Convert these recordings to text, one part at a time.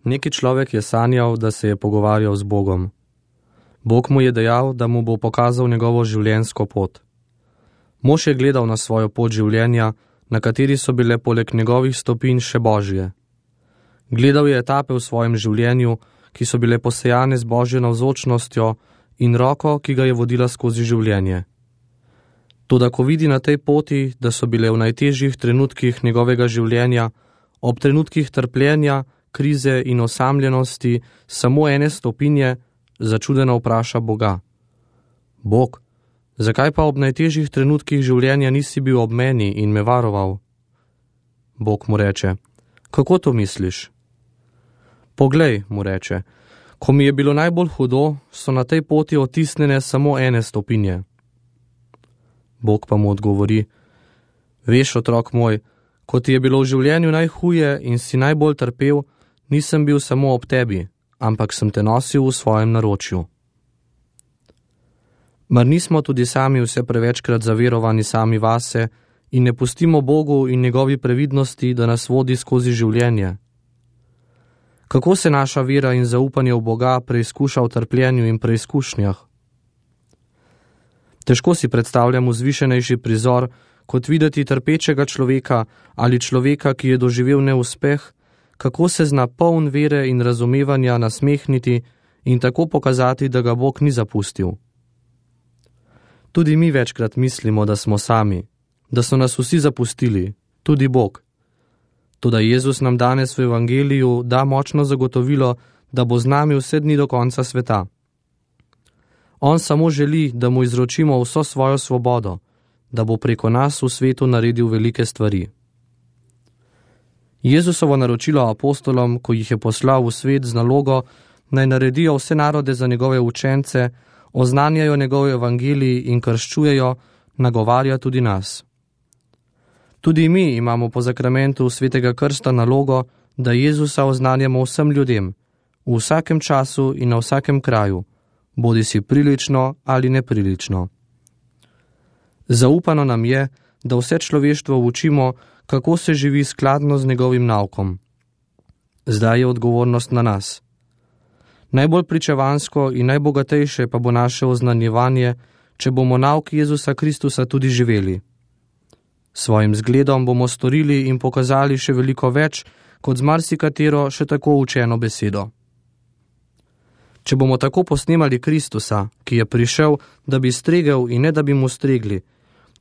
Neki človek je sanjal, da se je pogovarjal z Bogom. Bog mu je dejal, da mu bo pokazal njegovo življenjsko pot. Mož je gledal na svojo pot življenja, na kateri so bile poleg njegovih stopinj še Božje. Gledal je etape v svojem življenju, ki so bile posejane z Božjo navzočnostjo in roko, ki ga je vodila skozi življenje. Toda ko vidi na tej poti, da so bile v najtežjih trenutkih njegovega življenja, ob trenutkih trpljenja, krize in osamljenosti samo ene stopinje, začudeno vpraša Boga: Bog, zakaj pa ob najtežjih trenutkih življenja nisi bil ob meni in me varoval? Bog mu reče: Kako to misliš? Poglej, mu reče, ko mi je bilo najbolj hudo, so na tej poti otisnjene samo ene stopinje. Bog pa mu odgovori: Veš, otrok moj, ko ti je bilo v življenju najhuje in si najbolj trpel, nisem bil samo ob tebi, ampak sem te nosil v svojem naročju. Mar nismo tudi sami vse prevečkrat zaverovani sami vase in ne pustimo Bogu in njegovi previdnosti, da nas vodi skozi življenje? Kako se naša vera in zaupanje v Boga preizkuša v trpljenju in preizkušnjah? Težko si predstavljam vzvišenejši prizor, kot videti trpečega človeka ali človeka, ki je doživel neuspeh, kako se zna poln vere in razumevanja nasmehniti in tako pokazati, da ga Bog ni zapustil. Tudi mi večkrat mislimo, da smo sami, da so nas vsi zapustili, tudi Bog. Toda Jezus nam danes v Evangeliju da močno zagotovilo, da bo z nami vse dni do konca sveta. On samo želi, da mu izročimo vso svojo svobodo, da bo preko nas v svetu naredil velike stvari. Jezusovo naročilo apostolom, ko jih je poslal v svet z nalogo, naj naredijo vse narode za njegove učence, oznanjajo njegov evangelij in krščujejo, nagovarja tudi nas. Tudi mi imamo po zakramentu svetega krsta nalogo, da Jezusa oznanjamo vsem ljudem, v vsakem času in na vsakem kraju, bodisi prilično ali neprilično. Zaupano nam je, da vse človeštvo učimo, kako se živi skladno z njegovim naukom. Zdaj je odgovornost na nas. Najbolj pričevansko in najbogatejše pa bo naše oznanjevanje, če bomo nauk Jezusa Kristusa tudi živeli. Svojim zgledom bomo storili in pokazali še veliko več, kot z marsikatero še tako učeno besedo. Če bomo tako posnemali Kristusa, ki je prišel, da bi stregel in ne da bi mu stregli,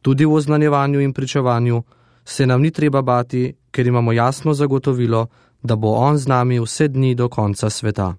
tudi v oznanjevanju in pričevanju, se nam ni treba bati, ker imamo jasno zagotovilo, da bo on z nami vse dni do konca sveta.